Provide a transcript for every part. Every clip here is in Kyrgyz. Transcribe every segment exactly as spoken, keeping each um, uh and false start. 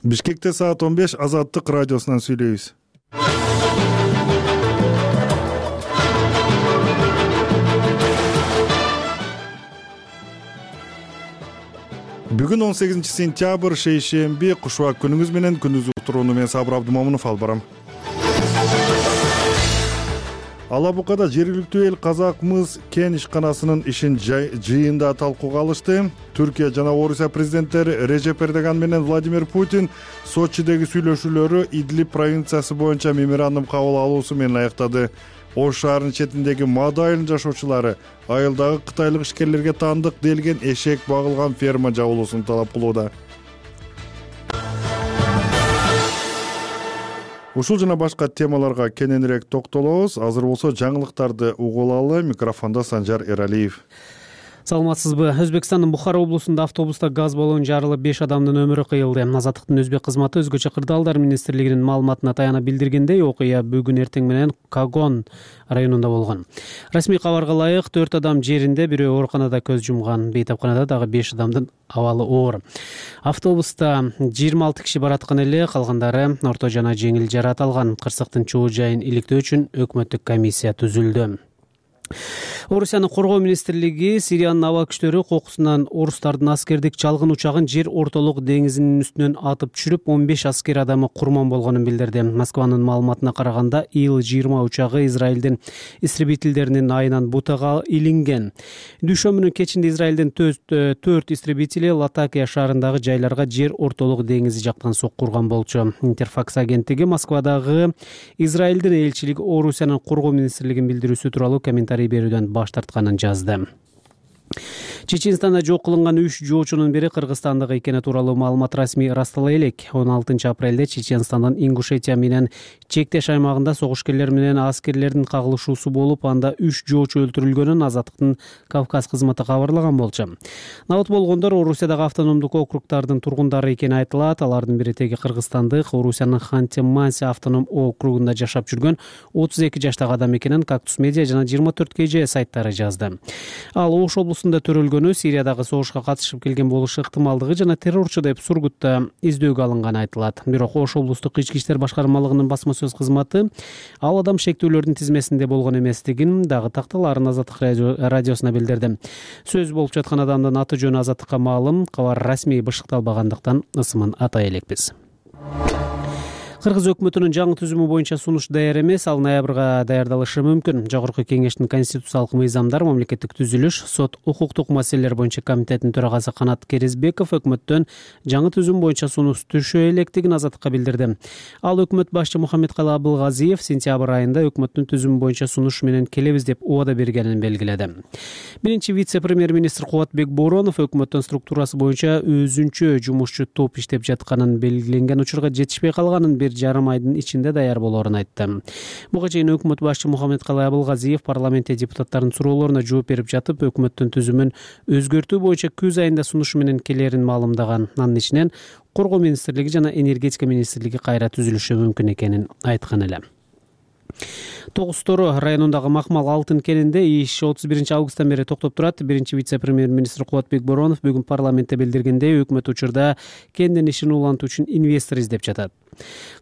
Бишкекте саат он беш Азаттык радиосунан сүйлөйбүз. Бүгүн он сегизинчи сентябрь шейшемби, кушубак күнүңүз менен. Күндүз уктурууну мен Сабыр Абдымомунов алып барам. Ала Букада жергиликтүү эл Казак-Мыс кен ишканасынын ишин жыйында талкууга алышты. Түркия жана Орусия президенттери Режеп Эрдоган менен Владимир Путин Сочидеги сүйлөшүүлөрү Идлиб провинциясы боюнча меморандум кабыл алуусу менен аяктады. Ош шаарынын четиндеги Мада айылынын жашоочулары айылдагы кытайлык ишкерлерге таандык делген эшек багылган ферма жабылуусун талап кылууда. Ушул жана башка темаларга кененирээк токтолобуз. Азыр болсо жаңылыктарды угулалы. Микрофондо Санжар Эралиев. Саламатсызбы? Өзбекстандын Бухара облусунда автобуста газ баллону жарылып беш адамдын өмүрү кыйылды. Азаттыктын өзбек кызматы өзгөчө кырдаалдар министрлигинин маалыматына таяна билдиргендей, окуя бүгүн эртең менен Кагон районунда болгон. Расмий кабарга ылайык төрт адам жеринде, бирөө ооруканада көз жумган. Бейтапканада дагы беш адамдын абалы оор. Автобуста жыйырма алты киши бараткан эле, калгандары орто жана жеңил жаракат алган. Кырсыктын чоо жайын иликтөө үчүн өкмөттүк комиссия түзүлдү. Орусиянын коргоо министрлиги Сириянын аба күчтөрү кокусунан орустардын аскердик чалгын учагын жер ортолук деңизинин үстүнөн атып түшүрүп, он беш аскер адамы курман болгонун билдирди. Москванын маалыматына караганда, Ил жыйырма учагы Израилдин истребительдеринин айынан бутага илинген. Дүйшөмбүнүн кечинде Израилдин төрт истребители Латакия шаарындагы жайларга жер ортолук деңизи жактан сокку урган болчу. Интерфакс агенттиги Москвадагы Израилдин элчилиги Орусиянын коргоо министрлигин билдирүүсү тууралуу комментарий берүүдөн баш тартканын жазды. Чеченстанда жок кылынган үч жоочунун бири кыргызстандык экени тууралуу маалымат расмий ырастала элек. он алтынчы апрелде Чеченстандын Ингушетия менен чектеш аймагында согушкерлер менен аскерлердин кагылышуусу болуп, анда үч жоочу өлтүрүлгөнүн Азаттыктын Кавказ кызматы кабарлаган болчу. Набыт болгондор Орусиядагы автономдук округдардын тургундары экени айтылат. Алардын бири теги кыргызстандык, Орусиянын Ханты-Манси автоном округунда жашап жүргөн отуз эки жаштагы адам экенин Кактус медиа жана жыйырма төрт кей же сайттары жазды. Ал Ош облусунда төрөлгөнү, Сириядагы согушка катышып келген болушу ыктымалдыгы жана террорчу деп Сургутта издөөгө алынганы айтылат. Бирок Ош облустук ички иштер башкармалыгынын басма сөз кызматы ал адам шектүүлөрдүн тизмесинде болгон эместигин дагы такталарын Азаттык радиосуна билдирди. Сөз болуп жаткан адамдын аты жөнү Азаттыкка маалым, кабар расмий бышыкталбагандыктан ысымын атай элекпиз. Кыргыз өкмөтүнүн жаңы түзүмү боюнча сунуш даяр эмес, ал ноябрга даярдалышы мүмкүн. Жогорку кеңештин конституциялык мыйзамдар, мамлекеттик түзүлүш, сот, укуктук маселелер боюнча комитетинин төрагасы Канат Керезбеков өкмөттөн жаңы түзүм боюнча сунуш түшө электигин Азаттыкка билдирди. Ал өкмөт башчы Мухаммедкалый Абылгазиев сентябрь айында өкмөттүн түзүмү боюнча сунуш менен келебиз деп убада бергенин белгиледи. Биринчи вице-премьер-министр Кубатбек Боронов өкмөттүн структурасы боюнча өзүнчө жумушчу топ иштеп жатканын, белгиленген учурга жетишпей калганын бир жарым айдын ичинде даяр болоорун айтты. Буга чейин өкмөт башчы Мухаммедкалый Абылгазиев парламентте депутаттардын суроолоруна жооп берип жатып, өкмөттүн түзүмүн өзгөртүү боюнча күз айында сунуш менен келерин маалымдаган. Анын ичинен коргоо министрлиги жана энергетика министрлиги кайра түзүлүшү мүмкүн экенин айткан эле. Тогуз Тору районундагы Макмал алтын кенинде иш отуз биринчи августтан бери токтоп турат. Биринчи вице-премьер-министр Кубатбек Боронов бүгүн парламентте билдиргендей, өкмөт учурда кендин ишин улантуу үчүн инвестор издеп жатат.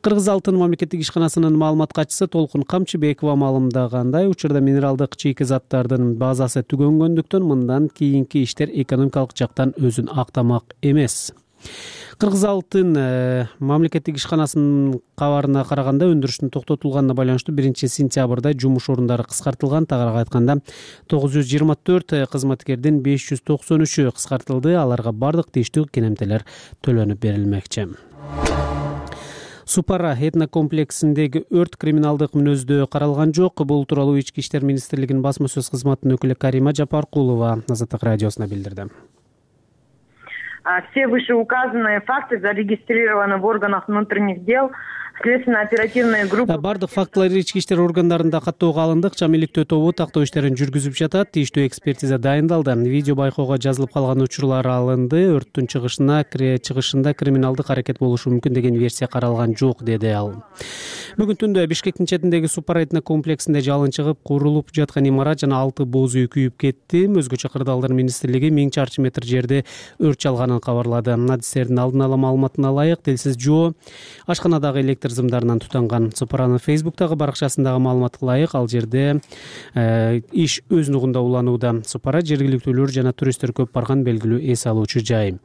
Кыргыз алтын мамлекеттик ишканасынын маалымат катчысы Толкун Камчыбекова маалымдагандай, учурда минералдык чийки заттардын базасы түгөнгөндүктөн мындан кийинки иштер экономикалык жактан өзүн актамак эмес. Кыргыз алтын э, мамлекеттик ишканасынын кабарына караганда, өндүрүштүн токтотулганына байланыштуу биринчи сентябрда жумуш орундары кыскартылган. Тагыраак айтканда, тогуз жүз жыйырма төрт кызматкердин беш жүз токсон үчү кыскартылды. Аларга бардык тийиштүү кенемтелер төлөнүп берилмекчи. Супара этнокомплексиндеги өрт криминалдык мүнөздө каралган жок. Бул тууралуу Ички иштер министрлигинин басма сөз кызматынын өкүлү Карима Жапаркулова Азаттык радиосуна билдирди. Все вышеуказанные факты зарегистрированы в органах внутренних дел следственно оперативная группа. Бардык фактылар ички иштер органдарында каттоого алынды. Акча миликтөө тобу тактоо иштерин жүргүзүп жатат. Тийиштүү экспертиза дайындалды. Видео байкоого жазылып калган учурлар алынды. Өрттүн чыгышына чыгышында криминалдык аракет болушу мүмкүн деген версия каралган жок, деди ал. Бүгүн түндө Бишкектин четиндеги Супарайтна комплексинде жалын чыгып, курулуп жаткан имарат жана алты боз үй күйүп кетти. Өзгөчө Кырдаалдар министрлиги миң чарчы метр жерде өрт чалганын кабарлады. Адистердин алдын ала маалыматына ылайык телсиз жоо ашканадагы электр зымдарынан тутанган. Супаранын Фейсбуктагы баракчасындагы маалыматка ылайык ал жерде э, иш өз нугунда уланууда. Супара жергиликтүүлөр жана туристтер көп барган белгилүү эс алуучу жай.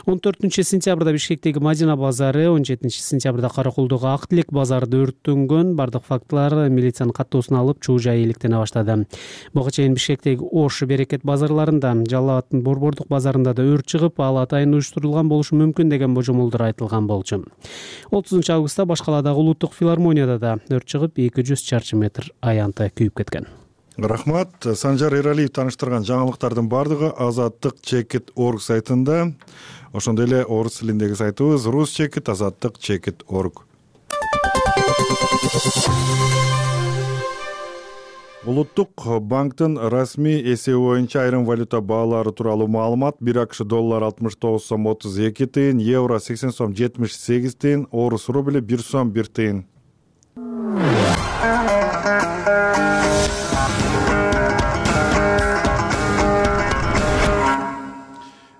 он төртүнчү сентябрда Бишкектеги Мадина базары, он жетинчи сентябрда Каракулдагы Ак Тилек базарында өрттөнгөн. Бардык фактылар милициянын каттоосуна алып, чуу жай иликтене баштады. Буга чейин Бишкектеги Ош, Берекет базарларында, Жалал абадтын Борбордук базарында да өрт чыгып, ал атайын уюштурулган болушу мүмкүн деген божомолдор айтылган болчу. отузунчу августта Башкаладагы Улуттук филармонияда да өрт чыгып, эки жүз чарчы метр аянты күйүп кеткен. Рахмат. Санжар Эралиев тааныштырган жаңылыктардын бардыгы азаттык чекит точка орг сайтында. Ошондой эле орус тилиндеги сайтыбыз русчекит азаттык чекит точка орг. Улуттук банктын расмий эсеби боюнча айрым валюта баалары тууралуу маалымат: бир акш доллар алтымыш тогуз сом отуз эки тыйын, евро сексен сом жетимиш сегиз тыйын, орус рубли бир сом бир тыйын.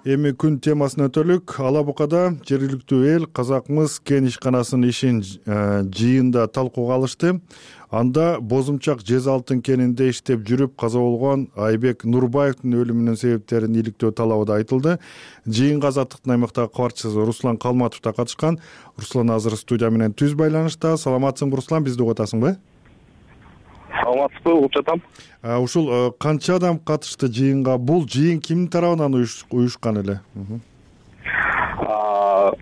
Эми күн темасына өтөлүк. Ала Букада жергиликтүү эл казак-мыс кен ишканасынын ишин жыйында талкууга алышты. Анда бозумчак жез алтын кенинде иштеп жүрүп каза болгон Айбек Нурбаевдин өлүмүнүн себептерин иликтөө талабы да айтылды. Жыйынга Азаттыктын аймактагы кабарчысы Руслан Калматов да катышкан. Руслан азыр студия менен түз байланышта. Саламатсыңбы, Руслан? Бизди угуп атасыңбы? Саламатсызбы, угуп жатам. Ушул канча адам катышты жыйынга? Бул жыйын кимдин тарабынан уюшкан эле?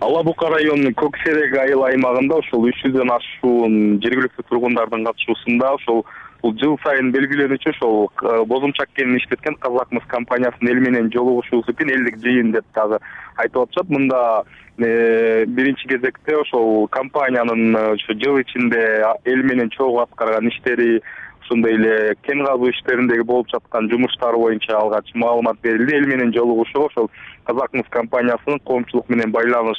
Ала Бука районунун Көк Серек айыл аймагында ошол үч жүздөн ашуун жергиликтүү тургундардын катышуусунда ошол бул жыл сайын белгиленүүчү ошол бозумчак кенин иштеткен Казак-мыс компаниясынын эл менен жолугушуусу үчүн элдик жыйын деп дагы айтып атышат. Мында биринчи кезекте ошол компаниянын ошо жыл ичинде эл менен чогуу аткарган иштери, ошондой эле кен казуу иштериндеги болуп жаткан жумуштар боюнча алгач маалымат берилди. Эл менен жолугушууга ошол Казак-мыс компаниясынын коомчулук менен байланыш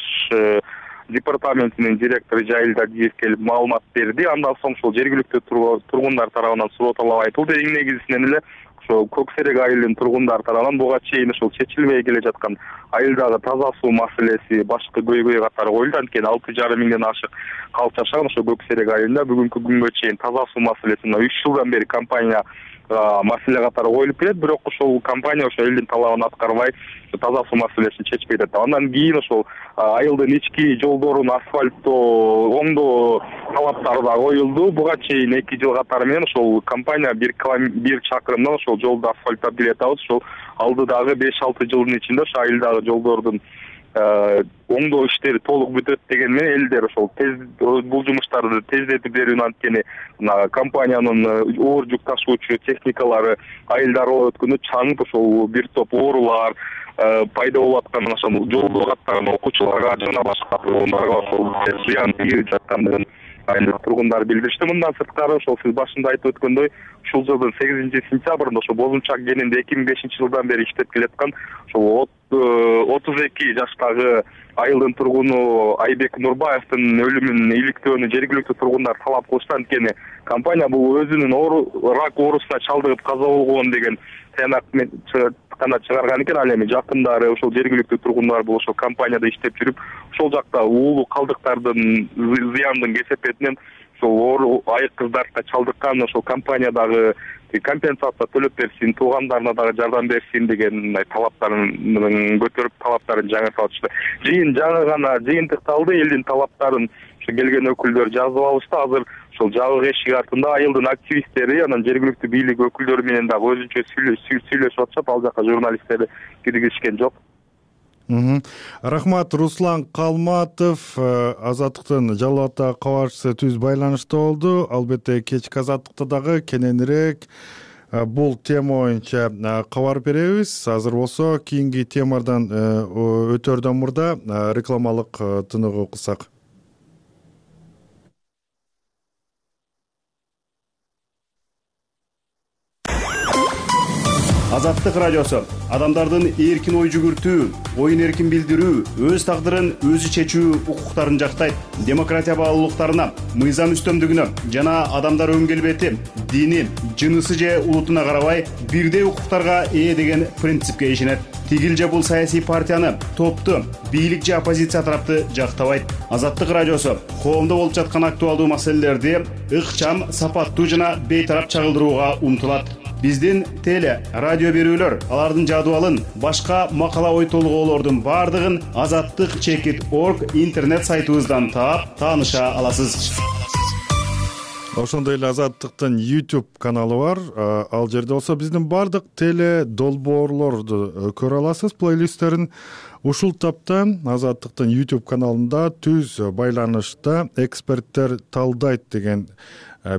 департаментинин директору Жайыл Дадиев келип маалымат берди. Андан соң ошол жергиликтүү тургундар тарабынан суроо талап айтылды. Эң негизинен эле ошол Көк Серек айылынын тургундары тарабынан буга чейин ошол чечилбей келе жаткан айылдагы таза суу маселеси, башкы көйгөй катары коюлду. Анткени алты жарым миңден ашык калк жашаган ошол Көк Серек айылында бүгүнкү күнгө чейин таза суу маселеси мына үч жылдан бери компания маселе катары коюлуп келет, бирок ошол компания ошол элдин талабын аткарбай таза суу маселесин чечпей жатат. Андан кийин ошол айылдын ички жолдорун асфальттоо, оңдоо талаптары да коюлду. Буга чейин эки жыл катары менен ошол компания бир бир чакырымдан ошол жолду асфальттап келе жатабыз. Ошол алдыдагы беш алты жылдын ичинде ошо айылдагы жолдордун оңдоо иштери толук бүтөт деген менен элдер ошол тез бул жумуштарды тездетип берүүнү, анткени компаниянын оор жүк ташуучу техникалары айылдарга өткөндө чаңып ошол бир топ оорулар пайда болуп аткан, ошол жолдо каттаган окуучуларга жана башка тургундарга ошол зыян тийип жаткандыгын айыл тургундар билдиришти. Мындан сырткары ошол сиз башында айтып өткөндөй ушул жылдын сегизинчи сентябрында ошол бозумчак кенинде эки миң бешинчи жылдан бери иштеп келаткан ошол отуз эки жаштагы айылдын тургуну Айбек Нурбаевдин өлүмүн иликтөөнү жергиликтүү тургундар талап кылышты. Анткени компания бул өзүнүн рак оорусуна чалдыгып каза болгон деген таянак гана чыгарган экен. Ал эми жакындары ошол жергиликтүү тургундар бул ошол компанияда иштеп жүрүп, ошол жакта уулуу калдыктардын зыяндын кесепетинен ошол оору айык кыздарды чалдыккан, ошол компаниядагы компенсация төлөп берсин, туугандарына дагы жардам берсин деген талаптарын көтөрүп, талаптарын жаңыртып атышты. Жыйын жаңы гана жыйынтыкталды, элдин талаптарын ошо келген өкүлдөр жазып алышты. Азыр ошол жабык эшик артында айылдын активисттери, анан жергиликтүү бийлик өкүлдөрү менен дагы өзүнчө сүйлөшүп атышат. Ал жака журналисттер киргизишкен жок. Рахмат. Руслан Калматов, Азаттыктын Жалал абадтагы кабарчысы, түз байланышта болду. Албетте кечки Азаттыкта дагы кененирээк бул тема боюнча кабар беребиз. Азыр болсо кийинки темадан өтөрдөн мурда рекламалык тыныгуу кылсак. Азаттык радиосу адамдардын эркин ой жүгүртүү, оюн эркин билдирүү, өз тагдырын өзү чечүү укуктарын жактайт. Демократия баалуулуктарына, мыйзам үстөмдүгүнө жана адамдар өн келбети, дини, жынысы же улутуна карабай бирдей укуктарга ээ деген принципке ишенет. Тигил же бул саясий партияны, топту, бийлик же оппозиция тарапты жактабайт. Азаттык радиосу коомдо болуп жаткан актуалдуу маселелерди ыкчам, сапаттуу жана бейтарап чагылдырууга умтулат. Биздин теле, радио берүүлөр, алардын жадыбалын, башка макала ой толгоолордун бардыгын азаттык чекит точка орг интернет сайтыбыздан таап, тааныша аласыз. Ошондой эле Азаттыктын YouTube каналы бар. Ал жерде болсо биздин бардык теле долбоорлорду көрө аласыз, плейлисттерин. Ушул тапта Азаттыктын YouTube каналында түз байланышта эксперттер талдайт деген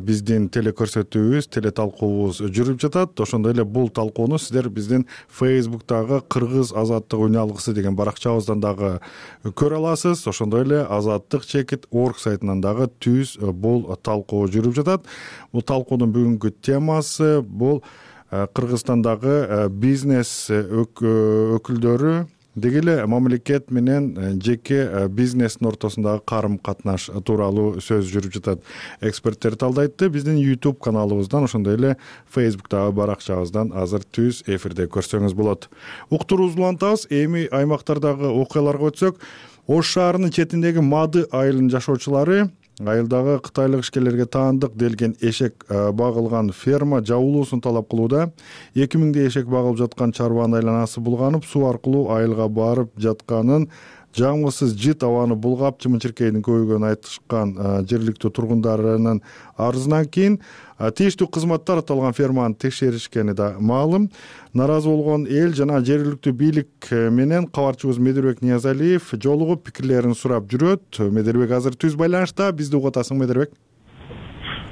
биздин теле көрсөтүүбүз, теле талкуубуз жүрүп жатат. Ошондой эле бул талкууну сиздер биздин Facebook'тагы Кыргыз азаттык уналгысы деген баракчабыздан дагы көрө аласыз. Ошондой эле азаттык чекит точка орг сайтынан дагы түз бул талкуу жүрүп жатат. Бул талкуунун бүгүнкү темасы бул Кыргызстандагы бизнес өкүлдөрү деги эле мамлекет менен жеке бизнестин ортосундагы карым катнаш тууралуу сөз жүрүп жатат. Эксперттер талдайтты. Биздин YouTube каналыбыздан, ошондой эле Facebook'тагы баракчабыздан азыр түз эфирде көрсөңүз болот. Уктуруубузду улантабыз. Эми аймактардагы окуяларга өтсөк, Ош шаарынын четиндеги Мады айылынын жашоочулары айылдагы кытайлык ишкерлерге таандык делген эшек багылган ферма жабылуусун талап кылууда. эки миңдей эшек багылып жаткан чарбанын айланасы булганып, суу аркылуу айылга барып жатканын, жамгысыз жыт абаны булгап, чымын-чиркейдин көбөйгөнүн айтышкан жергиликтүү тургундарынын арызынан кийин тийиштүү кызматтар аталган ферманы текшеришкени да маалым. Наразы болгон эл жана жергиликтүү бийлик менен кабарчыбыз Медербек Ниязалиев жолугуп пикирлерин сурап жүрөт. Медербек азыр түз байланышта. Бизди угуп атасың, Медербек?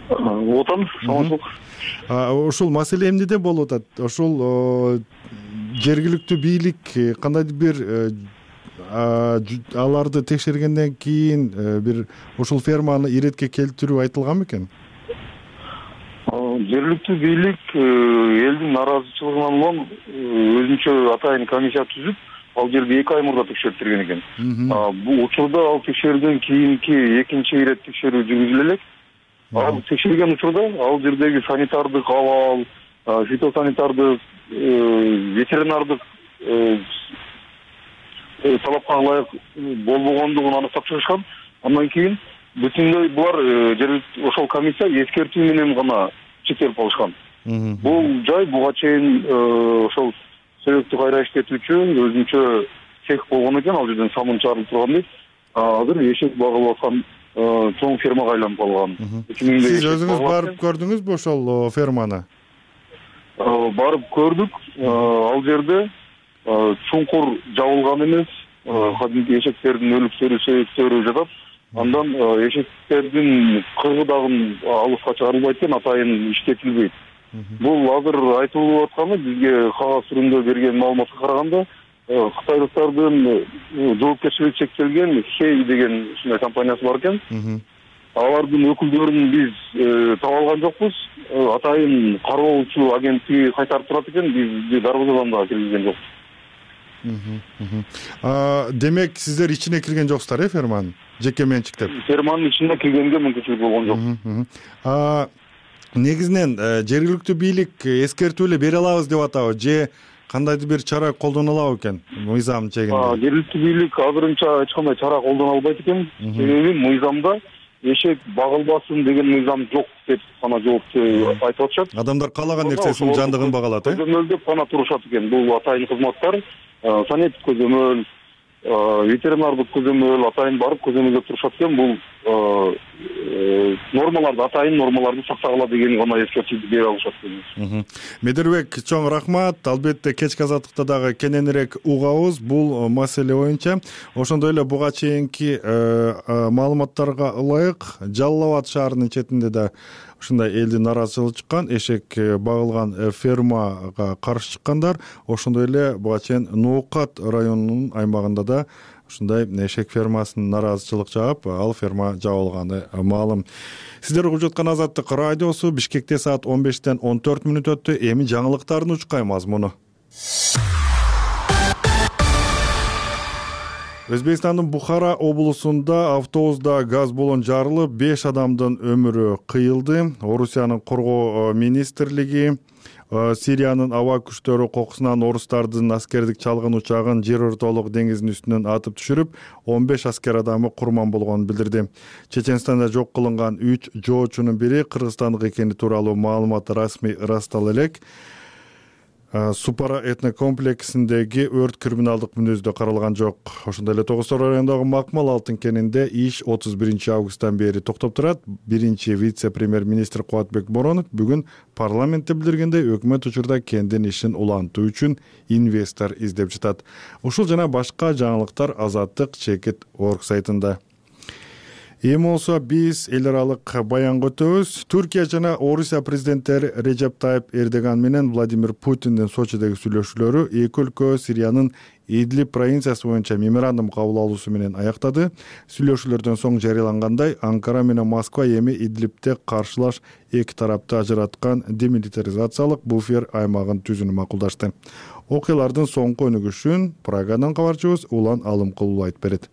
Угуп атам. Саламатсызбы? Ушул маселе эмнеде болуп атат? Ушул жергиликтүү бийлик кандайдыр бир аларды текшергенден кийин бир ушул ферманы иретке келтирүү айтылган бекен? Жергиликтүү бийлик элдин нараазычылыгынан улам өзүнчө атайын комиссия түзүп, ал жерди эки ай мурда текшертирген экен. Бул учурда ал текшерүүдөн кийинки экинчи ирет текшерүү жүргүзүлө элек. Ал текшерген учурда ал жердеги санитардык абал, фитосанитардык, ветеринардык талапка ылайык болбогондугун аныктап чыгышкан. Андан кийин бүтүндөй булар жергиликтүү ошол комиссия эскертүү менен гана чектелип калышкан. Бул жай буга чейин ошол себепти кайра иштетүүчү өзүнчө цех болгон экен, ал жерден самын чыгарылып турган дейт. Азыр эшек багылып аткан чоң фермага айланып калган. Сиз өзүңүз барып көрдүңүзбү ошол ферманы? Барып көрдүк. Ал жерде чуңкур жабылган эмес, кадимки эшектердин өлүктөрү, сөйөктөрү жатат. Андан эшектердин кыргыдагын алыска чыгарылбайт экен, атайын иштетилбейт. Бул азыр айтылып атканы бизге кагаз түрүндө берген маалыматка караганда, кытайлыктардын жоопкерчилиги чектелген Хей деген ушундай компаниясы бар экен. Алардын өкүлдөрүн биз таба алган жокпуз. Атайын кароочу агенттиги кайтарып турат экен, бизди дарбазадан да киргизген жок. Демек сиздер ичине кирген жоксуздар, э, ферманын? Жеке менчиктеп. Ферманын ичине киргенге мүмкүнчүлүк болгон жок. Негизинен жергиликтүү бийлик эскертүү эле бере алабыз деп атабы же кандайдыр бир чара колдоно алабы экен мыйзам чегинде? Жергиликтүү бийлик азырынча эч кандай чара колдоно албайт экен. Себеби мыйзамда эшек багылбасын деген мыйзам жок деп гана жоопту айтып атышат. Адамдар каалаган нерсесинин жандыгын багалат, э? Көзөмөлдөп гана турушат экен. Бул атайын кызматтар, санитик көзөмөл, ветеринардык көзөмөл, атайын барып көзөмөлдөп турушат экен. Бул нормаларды, атайын нормаларды сактагыла деген гана эскертүүнү бере алышат экен. Медербек, чоң рахмат. Албетте кечки азаттыкта дагы кененирээк угабыз бул маселе боюнча. Ошондой эле буга чейинки маалыматтарга ылайык Жалал Абад шаарынын четинде да ушундай элдин нараазычылыгы чыккан, эшек багылган фермага каршы чыккандар. Ошондой эле буга чейин Ноокат районунун аймагында да ушундай эшек фермасынын нараазычылык жаап, ал ферма жабылганы маалым. Сиздер угуп жаткан Азаттык радиосу. Бишкекте саат он бештен он төрт мүнөт өттү. Эми жаңылыктардын учкай мазмуну. Өзбекстандын Бухара облусунда автобуста газ баллон жарылып, беш адамдын өмүрү кыйылды. Орусиянын коргоо министрлиги Сириянын аба күчтөрү кокусунан орустардын аскердик чалгын учагын жер ортолук деңиздин үстүнөн атып түшүрүп, он беш аскер адамы курман болгонун билдирди. Чеченстанда жок кылынган үч жоочунун бири кыргызстандык экени тууралуу маалымат расмий ырастала элек. Супара этнокомплексиндеги өрт криминалдык мүнөздө каралган жок. Ошондой эле Тогуз Тоо районундагы Макмал алтын кенинде иш отуз биринчи августтан бери токтоп турат. Биринчи вице-премьер-министр Кубатбек Боронов бүгүн парламентте билдиргендей, өкмөт учурда кендин ишин улантуу үчүн инвестор издеп жатат. Ушул жана башка жаңылыктар Азаттык чекит орг сайтында. Эми болсо биз эл аралык баянга өтөбүз. Түркия жана Орусия президенттери Режеп Тайып Эрдоган менен Владимир Путиндин Сочидеги сүйлөшүүлөрү эки өлкө Сириянын Идлиб провинциясы боюнча меморандум кабыл алуусу менен аяктады. Сүйлөшүүлөрдөн соң жарыялангандай, Анкара менен Москва эми Идлибте каршылаш эки тарапты ажыраткан демилитаризациялык буфер аймагын түзүүнү макулдашты. Окуялардын соңку өнүгүшүн Прагадан кабарчыбыз Улан Алымкулов айтып берет.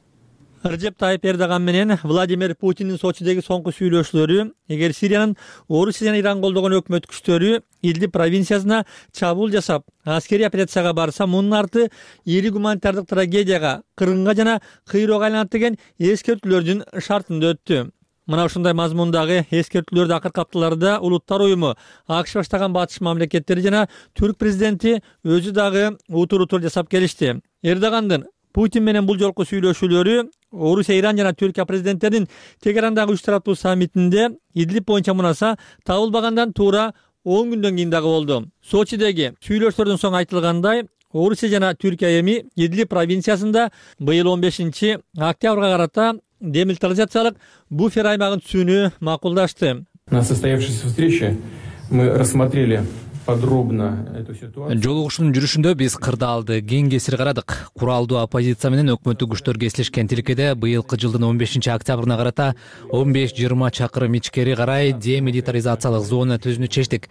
Режеп Тайып Эрдоган менен Владимир Путиндин Сочидеги соңку сүйлөшүүлөрү, эгер Сириянын Орусия жана Иран колдогон өкмөт күчтөрү Идлиб провинциясына чабуул жасап, аскерий операцияга барса, мунун арты ири гуманитардык трагедияга, кыргынга жана кыйроого айланат деген эскертүүлөрдүн шартында өттү. Мына ушундай мазмундагы эскертүүлөрдү акыркы апталарда Улуттар уюму, АКШ баштаган батыш мамлекеттери жана Түрк президенти өзү дагы утур-утур жасап келишти. Эрдогандын Путин менен бул жолку сүйлөшүүлөрү Орусия, Иран жана Түркия президенттеринин Тегерандагы үч тараптуу саммитинде Идлиб боюнча мунаса табылбагандан туура он күндөн кийин дагы болду. Сочидеги сүйлөшүүлөрдөн соң айтылгандай, Орусия жана Түркия эми Идлиб провинциясында быйыл он бешинчи октябрга карата демилитаризациялык буфер аймагын түзүүнү макулдашты. На состоявшейся встрече мы рассмотрели подробно эту ситуацию. Жолугушуунун жүрүшүндө биз кырдаалды кең кесир карадык. Куралдуу оппозиция менен өкмөттүк күчтөр кесилишкен тилкеде быйылкы жылдын он бешинчи октябрына карата он беш жыйырма чакырым ичкери карай демилитаризациялык зона түзүүнү чечтик.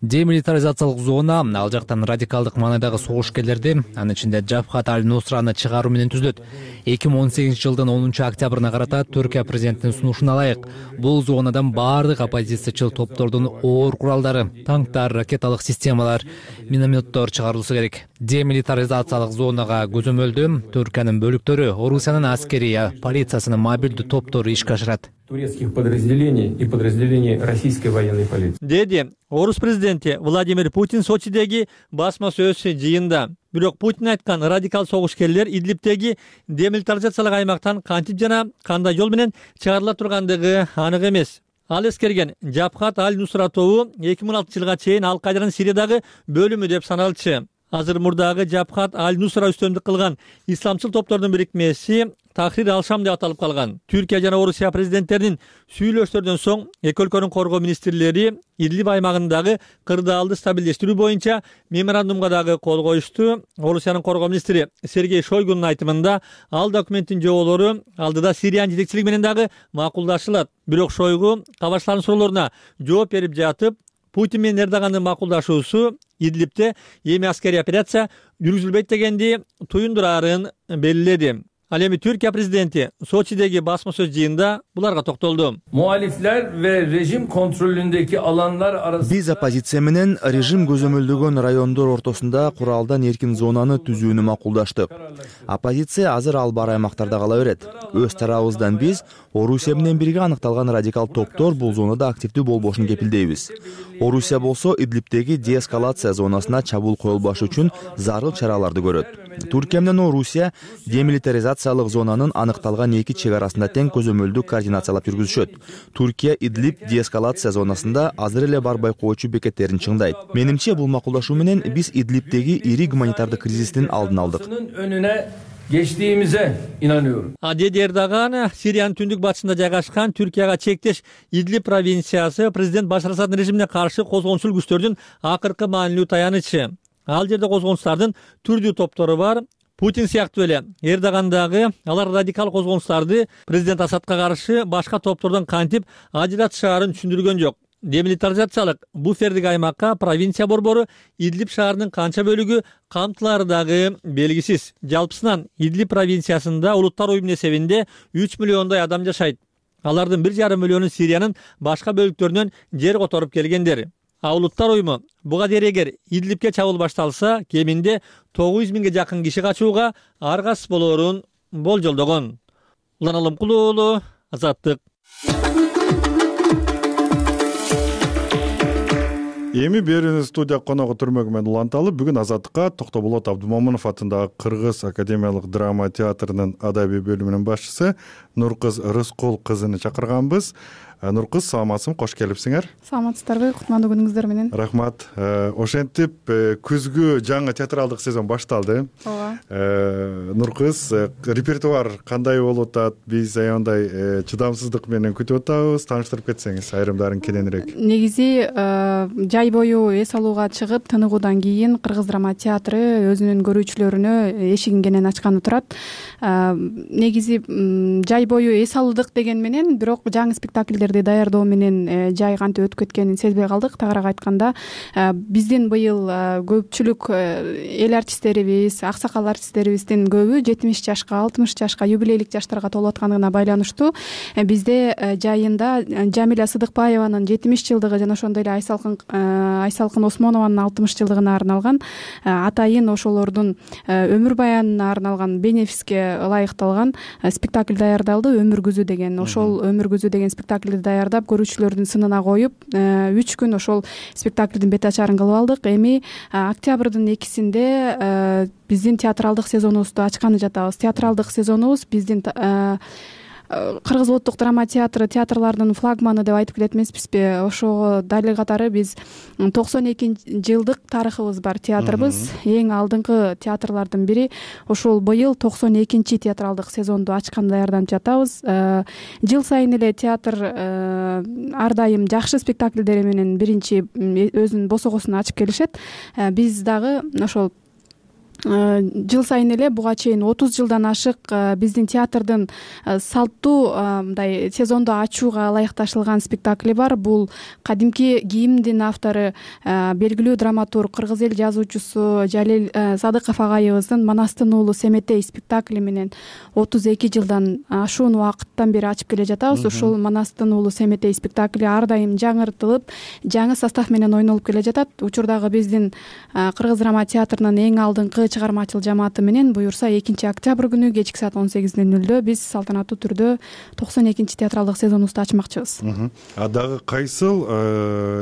Демилитаризациялык зона ал жактан радикалдык маанайдагы согушкерлерди, анын ичинде Жабхат аль-Нусраны чыгаруу менен түзүлөт. эки миң он сегизинчи жылдын онунчу октябрына карата Түркия президентинин сунушуна ылайык бул зонадан баардык оппозициячыл топтордун оор куралдары, танктар, ракеталык системалар, минометтор чыгарылышы керек. Демилитаризациялык зонага көзөмөлдүү Түркиянын бөлүктөрү, Орусиянын аскерия, полициясынын мобилдүү топтору ишке ашырат. Турецких подразделений и подразделений российской военной полиции. Деди Орус президенти Владимир Путин Сочидеги басма сөз жыйында. Бирок Путин айткан радикал согушкерлер Идлибтеги демилитаризациялык аймактан кантип жана кандай жол менен чыгарыла тургандыгы анык эмес. Ал эскерген Жабхат аль-Нусра тобу эки миң он алтынчы жылга чейин Ал-Кайданын Сириядагы бөлүмү деп саналчу. Азыр мурдагы Жабхат аль-Нусра үстөмдүк кылган исламчыл топтордун бирикмеси Тахрир ал-Шам деп аталып калган. Түркия жана Орусия президенттеринин сүйлөшүүлөрдөн соң эки өлкөнүн коргоо министрлери Идлиб аймагындагы кырдаалды стабилдештирүү боюнча меморандумга дагы кол коюшту. Орусиянын коргоо министри Сергей Шойгунун айтымында, ал документтин жоболору алдыда Сириянын жетекчилиги менен дагы макулдашылат. Бирок Шойгу кабарчылардын суроолоруна жооп берип жатып, Путин менен Эрдогандын макулдашуусу Идлибте эми аскерий операция жүргүзүлбөйт дегенди туюндурарын белгиледи. Ал эми Түркия президенти Сочидеги басма сөз жыйында буларга токтолду. Muhalifler ve rejim kontrolündeki alanlar arasında Биз оппозиция менен режим көзөмөлдөгөн райондор ортосунда куралдан эркин зонаны түзүүнү макулдаштык. Оппозиция азыр ал бар аймактарда кала берет. Өз тарабыбыздан биз Орусия менен бирге аныкталган радикал топтор бул зонада активдүү болбошун кепилдейбиз. Орусия болсо Идлибтеги деэскалация зонасына чабуул коюлбашы үчүн зарыл чараларды көрөт. Түркия менен Орусия демилитаризациялык зонанын аныкталган эки чек арасында тең көзөмөлдүү координациялап жүргүзүшөт. Түркия Идлиб деэскалация зонасында азыр эле бар байкоочу бекеттерин чыңдайт. Менимче бул макулдашуу менен биз Идлибтеги ири гуманитардык кризистин алдын алдык. önüne geçtiğimize inanıyorum. Деди Эрдоган Сириянын түндүк батышында жайгашкан Түркияга чектеш Идлиб провинциясы президент Башар Асаддын режимине каршы козгончул күчтөрдүн акыркы маанилүү таянычы. Ал жерде козгончулардын түрдүү топтору бар. Путин сыяктуу эле Эрдогандагы алар радикал козголуңуштарды президент Асадка каршы башка топтордон кантип ажыратышаарын түшүндүргөн жок. Демилитаризациялык буфердик аймакка провинция борбору Идлиб шаарынын канча бөлүгү камтылары дагы белгисиз. Жалпысынан Идлиб провинциясында улуттар уюмунун эсебинде үч миллиондой адам жашайт. Алардын бир жарым миллиону Сириянын башка бөлүктөрүнөн жер которуп келгендер. А улуттар уюму буга дейин эгер Идлибке чабуул башталса, кеминде тогуз жүз миңге жакын киши качууга аргасыз болоорун болжолдогон. Улан Алымкулуу уулу, Азаттык. Эми берүүнү студия коногу Түрмөгү менен уланталы. Бүгүн Азаттыкка Токтоболот Абдумомунов атындагы Кыргыз академиялык драма театрынын адабий бөлүмүнүн башчысы Нуркыз Рыскул кызыны чакырганбыз. Нуркыз, саламатсың, кош келипсиңер. Саламатсыздарбы, кутмандуу күнүңүздөр менен. Рахмат. Ошентип күзгү жаңы театралдык сезон башталды. Ооба. Нуркыз, репертуар кандай болуп атат? Биз аябай чыдамсыздык менен күтүп атабыз. Тааныштырып кетсеңиз айрымдарын кененирээк. Негизи жай бою эс алууга чыгып тыныгуудан кийин Кыргыз драма театры өзүнүн көрүүчүлөрүнө эшигин кенен ачканы турат. Негизи жай бою эс алдык деген менен, бирок жаңы спектакльдерди даярдоо менен жай кантип өтүп кеткенин сезбей калдык. Тагыраак айтканда, биздин быйыл көпчүлүк эл артисттерибиз, аксакал артисттерибиздин көбү жетимиш жашка, алтымыш жашка, юбилейлик жаштарга толуп аткандыгына байланыштуу бизде жайында Жамиля Сыдыкбаеванын жетимиш жылдыгы жана ошондой эле Айсалкын Айсалкын Осмонованын алтымыш жылдыгына арналган, атайын ошолордун өмүр баянына арналган бенефиске ылайыкталган спектакль даярдалды. Өмүр күзү деген. Ошол өмүр күзү деген спектакльди даярдап, көрүүчүлөрдүн сынына коюп, үч күн ошол спектакльдин бет ачарын кылып алдык. Эми октябрдын экисинде биздин театралдык сезонубузду ачканы жатабыз. Театралдык сезонубуз биздин Кыргыз улуттук драма театры театрлардын флагманы деп айтып келет эмеспизби? Ошого дали катары биз токсон экинчи жылдык тарыхыбыз бар театрыбыз. Эң алдыңкы театрлардын бири. Ошол быйыл токсон экинчи театралдык сезонду ачкан даярданып жатабыз. Жыл сайын эле театр ар дайым жакшы спектакльдери менен биринчи өзүнүн босогосун ачып келишет. Биз дагы ошол жыл сайын эле буга чейин отуз жылдан ашык биздин театрдын салттуу мындай сезонду ачууга ылайыкташылган спектакли бар. Бул кадимки кийимдин автору, белгилүү драматург, кыргыз эл жазуучусу Жалил Садыков агайыбыздын Манастын уулу Семетей спектакли менен отуз эки жылдан ашуун убакыттан бери ачып келе жатабыз. Ошол Манастын уулу Семетей спектакли ар дайым жаңыртылып, жаңы состав менен ойнолуп келе жатат. Учурдагы биздин Кыргыз драма театрынын эң алдыңкы чыгармачыл жамааты менен буюрса экинчи октябрь күнү кечки саат он сегиз нөл нөлдө биз салтанаттуу түрдө токсон экинчи театралдык сезонубузду ачмакчыбыз. А дагы кайсыл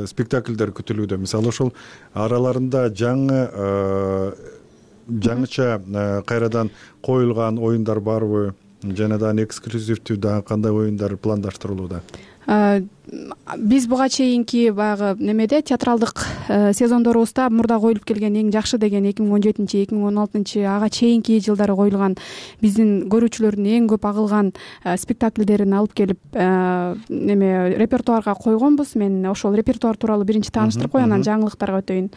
спектакльдер күтүлүүдө? Мисалы ошол араларында жаңы жаңыча кайрадан коюлган оюндар барбы? Жана дагы эксклюзивдүү дагы кандай оюндар пландаштырылууда? Биз буга чейинки баягы немеде театралдык сезондорубузда мурда коюлуп келген эң жакшы деген эки миң он жетинчи эки миң он алтынчы ага чейинки жылдары коюлган биздин көрүүчүлөрдүн эң көп агылган спектакльдерин алып келип неме репертуарга койгонбуз. Мен ошол репертуар тууралуу биринчи тааныштырып коеюн, анан жаңылыктарга өтөйүн.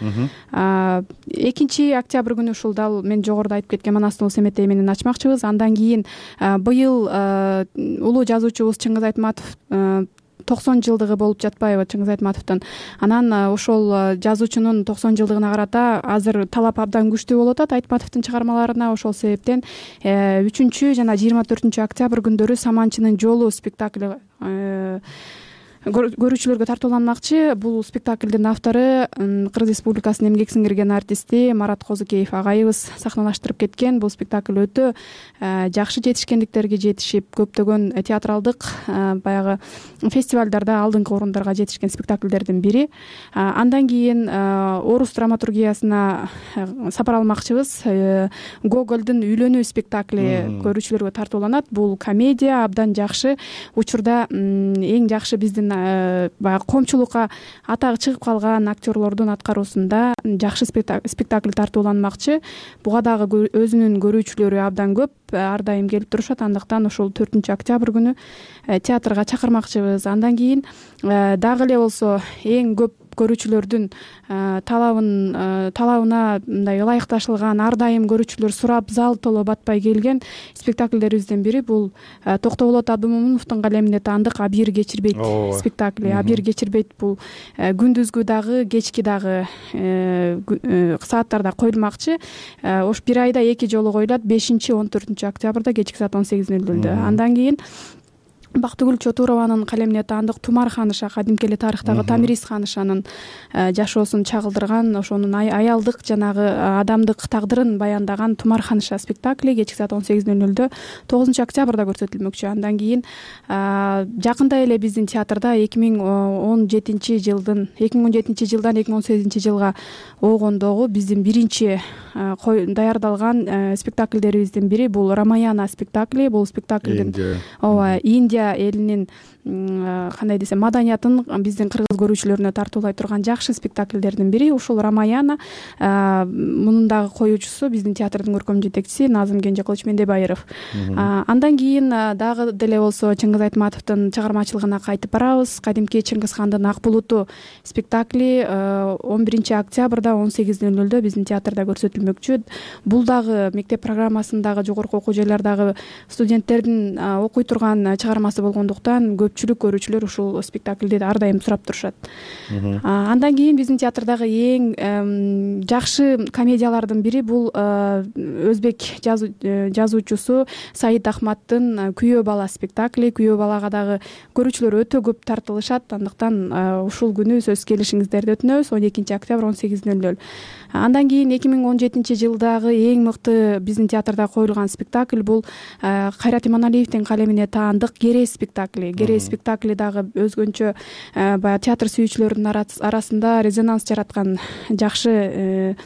экинчи октябрь күнү ушул дал мен жогоруда айтып кеткен Манастын Семетей менен ачмакчыбыз. Андан кийин быйыл улуу жазуучубуз Чыңгыз Айтматов токсон жылдыгы болуп жатпайбы Чыңгыз Айтматовдун. Анан ошол жазуучунун токсон жылдыгына карата азыр талап абдан күчтүү болуп атат Айтматовдун чыгармаларына. Ошол себептен үчүнчү жана жыйырма төртүнчү октябрь күндөрү Саманчынын жолу спектакли көрүүчүлөргө тартууланмакчы. Бул спектакльдин автору Кыргыз Республикасынын эмгек сиңирген артисти Марат Козукеев агайыбыз сахналаштырып кеткен. Бул спектакль өтө жакшы жетишкендиктерге жетишип, көптөгөн театралдык баягы фестивалдарда алдыңкы орундарга жетишкен спектакльдердин бири. Андан кийин орус драматургиясына сапар алмакчыбыз. Гогольдун Үйлөнүү спектакли көрүүчүлөргө тартууланат. Бул комедия, абдан жакшы. Учурда эң жакшы биздин баягы коомчулукка атагы чыгып калган актерлордун аткаруусунда жакшы спектакль тартууланмакчы. Буга дагы өзүнүн көрүүчүлөрү абдан көп, ар дайым келип турушат. Андыктан ошол төртүнчү октябрь күнү театрга чакырмакчыбыз. Андан кийин дагы эле болсо эң көп көрүүчүлөрдүн талабын талабына мындай ылайыкташылган, ар дайым көрүүчүлөр сурап, зал толо батпай келген спектакльдерибиздин бири бул Токтоболот Абдымомуновдун калемине таандык «Абийир кечирбейт» спектакли. «Абийир кечирбейт» бул күндүзгү дагы, кечки дагы сааттарда коюлмакчы. Ош бир айда эки жолу коюлат, бешинчи он төртүнчү октябрда кечки саат он сегиз нөл нөлдө. Андан кийин Бактыгүл Чотурованын калемине таандык Тумар ханыша, кадимки эле тарыхтагы Тамириз ханышанын жашоосун чагылдырган, ошонун аялдык жанагы адамдык тагдырын баяндаган Тумар ханыша спектакли кечки саат он сегиз нөл нөлдө тогузунчу октябрда көрсөтүлмөкчү. Андан кийин жакында эле биздин театрда эки миң он жетинчи жылдын эки миң он жетинчи жылдан эки миң он сегизинчи жылга огондогу биздин биринчи даярдалган спектакльдерибиздин бири бул Рамаяна спектакли. Бул спектаклдин ооба Индия элинин кандай десем маданиятын биздин кыргыз көрүүчүлөрүнө тартуулай турган жакшы спектакльдердин бири. Ушул Рамаяна. Мунун дагы коюучусу биздин театрдын көркөм жетекчиси Назым Кенжекылыч Мендебайыров. Андан кийин дагы деле болсо Чыңгыз Айтматовдун чыгармачылыгына кайтып барабыз. Кадимки Чыңгыз хандын Ак булуту спектакли он биринчи октябрда он сегиз нөл нөлдө биздин театрда көрсөтүлмөкчү. Бул дагы мектеп программасындагы, жогорку окуу жайлардагы студенттердин окуй турган чыгармасы болгондуктан көпчүлүк көрүүчүлөр ушул спектакльди ар дайым сурап турушат. Андан кийин биздин театрдагы эң жакшы комедиялардын бири бул өзбек жазуучусу Саид Ахматтын Күйөө бала спектакли. Күйөө балага дагы көрүүчүлөр өтө көп тартылышат. Андыктан ушул күнү сөзсүз келишиңиздерди өтүнөбүз. он экинчи октябрь он сегиз нөл нөл. Андан кийин эки миң он жетинчи жылдагы эң мыкты биздин театрда коюлган спектакль бул Кайрат Иманалиевдин калемине таандык Герей спектакли. Герей спектакли дагы өзгөнчө баягы театр сүйүүчүлөрдүн арасында резонанс жараткан жакшы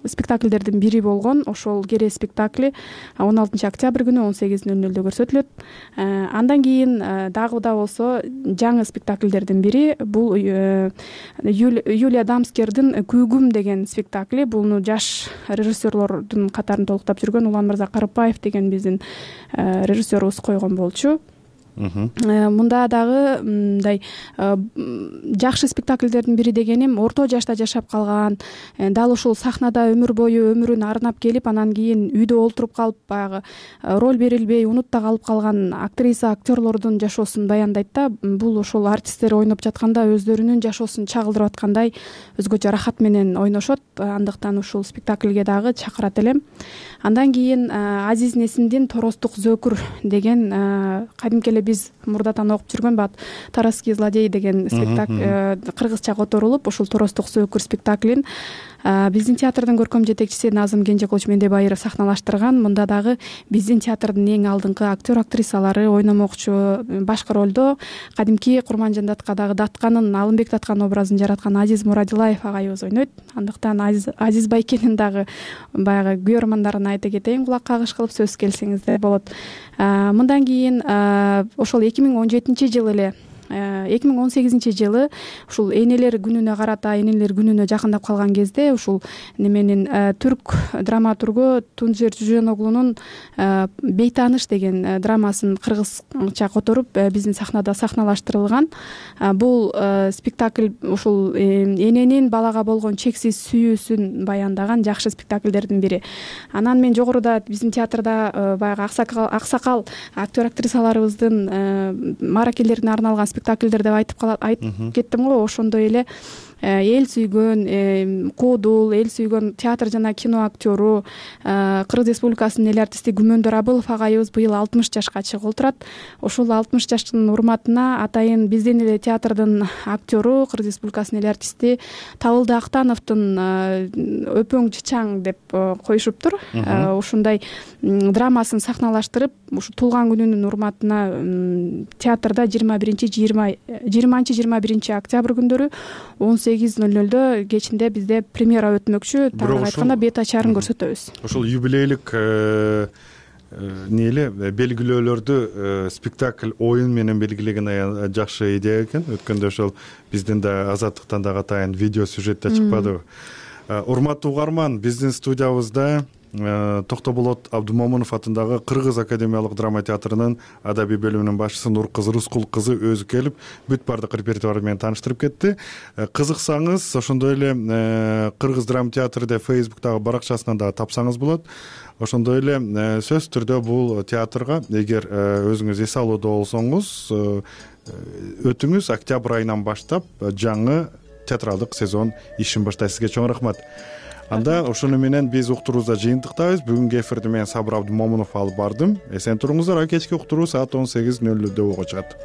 спектакльдердин бири болгон ошол Герей спектакли он алтынчы октябрь күнү он сегиз нөл нөлдө көрсөтүлөт. Андан кийин дагы да болсо жаңы спектакльдердин бири бул Юлия Дамскердин Күйгүм деген спектакли. Буну жаш режиссерлордун катарын толуктап жүргөн Уланмырза Карыпбаев деген биздин режиссерубуз койгон болчу. Мында дагы мындай жакшы спектакльдердин бири дегеним орто жашта жашап калган, дал ушул сахнада өмүр бою өмүрүн арнап келип, анан кийин үйдө олтуруп калып баягы роль берилбей унутта калып калган актриса, актерлордун жашоосун баяндайт да. Бул ошол артисттер ойноп жатканда өздөрүнүн жашоосун чагылдырып аткандай өзгөчө рахат менен ойношот. Андыктан ушул спектакльге дагы чакырат элем. Андан кийин Азиз Несимдин Торостук Зөкүр деген кадимки эле биз мурдатан окуп жүргөн бат Тараский злодей деген спектакль кыргызча которулуп, ушул Торостук Зөкүр спектаклин биздин театрдын көркөм жетекчиси Назым Кенжекылыч Мендебайыров сахналаштырган. Мында дагы биздин театрдын эң алдыңкы актер актрисалары ойномокчу. Башкы ролдо кадимки Курманжан Даткадагы Датканын, Алымбек Даткан образын жараткан Азиз Мурадилаев агайыбыз ойнойт. Андыктан Азиз Байкенин дагы баягы күйөрмандарын айта кетейин, кулак кагыш кылып сөз келсеңиздер болот. Мындан кийин ошол эки миң он жетинчи жылы эле эки миң он сегизинчи жылы ушул энелер күнүнө карата, энелер күнүнө жакындап калган кезде ушул неменин түрк драматургу Тунжер Жуженоглунун Бейтаныш деген драмасын кыргызча которуп биздин сахнада сахналаштырылган. Бул спектакль ушул эненин балага болгон чексиз сүйүүсүн баяндаган жакшы спектакльдердин бири. Анан мен жогоруда биздин театрда баягы аксакал аксакал актер актрисаларыбыздын мааракелерине арналган спектакльдер деп айтып калат айтып кеттим го. Ошондой эле эл сүйгөн куудул, эл сүйгөн театр жана кино актёру Кыргыз Республикасынын эл артисти Күмөндөр Абылов агайыбыз быйыл алтымыш жашка чыгып турат. Ошол алтымыш жаштын урматына атайын биздин эле театрдын актёру, Кыргыз Республикасынын эл артисти Табылды Актановдун Өпөң Чычаң деп коюшуптур. Ушундай драмасын сахналаштырып, ушу туулган күнүнүн урматына театрда жыйырма биринчи жыйырманчы жыйырма биринчи октябрь күндөрү он сегиз нөл нөлдө кечинде бизде премьера өтмөкчү. Тагыраак айтканда бет ачарын көрсөтөбүз. Ошол юбилейлик эмне эле белгилөөлөрдү спектакль оюн менен белгилеген жакшы идея экен. Өткөндө ошол биздин да Азаттыктан дагы атайын видео сюжетте чыкпадыбы. Урматтуу угарман, биздин студиябызда Токтоболот Абдумомунов атындагы Кыргыз академиялык драма театрынын адабий бөлүмүнүн башчысы Нуркызы Рыскул кызы өзү келип бүт баардык репертуары менен тааныштырып кетти. Кызыксаңыз, ошондой эле Кыргыз драма театры деп Фейсбуктагы баракчасынан дагы тапсаңыз болот. Ошондой эле сөзсүз түрдө бул театрга эгер өзүңүз эс алууда болсоңуз, өтүңүз. Октябрь айынан баштап жаңы театралдык сезон ишин баштайт. Сизге чоң рахмат. Анда ошону менен биз уктуруубузда жыйынтыктайбыз. Бүгүнкү эфирди мен Сабыр Абдумомунов алып бардым. Эсен туруңуздар. Кечки уктуруу саат он сегиз нөл нөлдө болго чыгат.